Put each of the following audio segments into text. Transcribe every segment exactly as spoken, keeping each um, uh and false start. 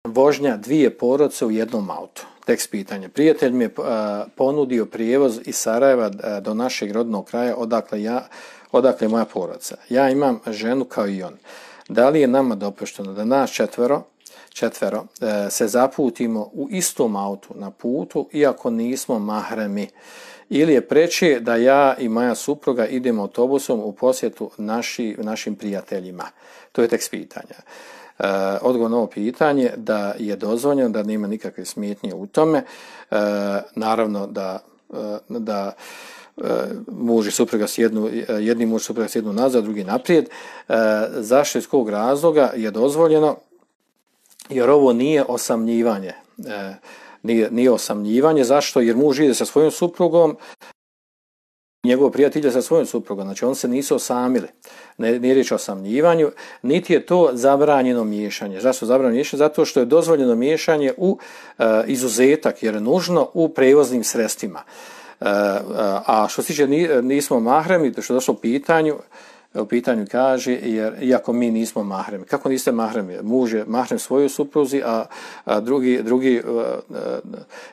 vožnja dvije porodice u jednom autu. Tekst pitanja. Prijatelj mi je ponudio prijevoz iz Sarajeva do našeg rodnog kraja odakle, ja, odakle je moja porodica. Ja imam ženu kao i on. Da li je nama dopušteno da nas četvero, četvero se zaputimo u istom autu na putu iako nismo mahremi? Ili je preče da ja i moja supruga idemo autobusom u posjetu naši, našim prijateljima? To je tekst pitanja. Uh, odgovor na ovo pitanje da je dozvoljeno, da nema nikakve smetnje u tome. Uh, naravno da, uh, da uh, muž i supruga sjednu, jedni muž i supruga sjednu nazad, drugi naprijed. Uh, zašto iz kog razloga je dozvoljeno? Jer ovo nije osamljivanje. Uh, nije, nije osamljivanje. Zašto? Jer muž ide sa svojom suprugom, njegov prijatelj je sa svojom suprugom, znači on se nisu osamili, ne, nije riječ o osamljivanju, niti je to zabranjeno miješanje. Zašto zabranjeno miješanje? Zato što je dozvoljeno miješanje u uh, izuzetak, jer je nužno u prevoznim sredstvima. Uh, uh, a što se tiče nismo mahremi, što je došlo u pitanju, u pitanju kaže, jer iako mi nismo mahremi. Kako niste mahremi? Muž je mahrem svojoj supruzi, a, a drugi, drugi uh, uh,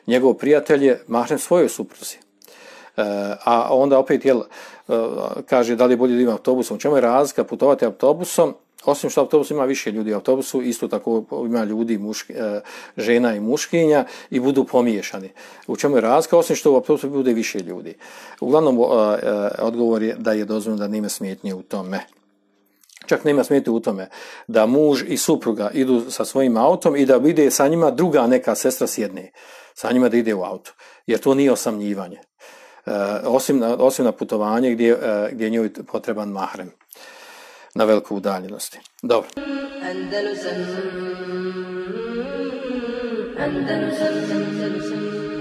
njegov prijatelj je mahrem svojoj supruzi. Uh, a onda opet jel, uh, kaže da li je bolje da ima autobusom. U čemu je razlika putovati autobusom? Osim što autobus ima više ljudi, u autobusu isto tako ima ljudi, muški, uh, žena i muškinja i budu pomiješani. U čemu je razlika? Osim što u autobusu bude više ljudi. Uglavnom, uh, uh, odgovor je da je dozvoljeno da nema smetnje u tome. Čak nema smetnje u tome da muž i supruga idu sa svojim autom i da ide sa njima druga neka sestra sjedne. Sa njima da ide u auto. Jer to nije osamljivanje. Uh, osim, na, osim na putovanje gdje, uh, gdje je njoj potreban mahrem na veliku udaljenosti. Dobro. Andalusam, Andalusam, Andalusam.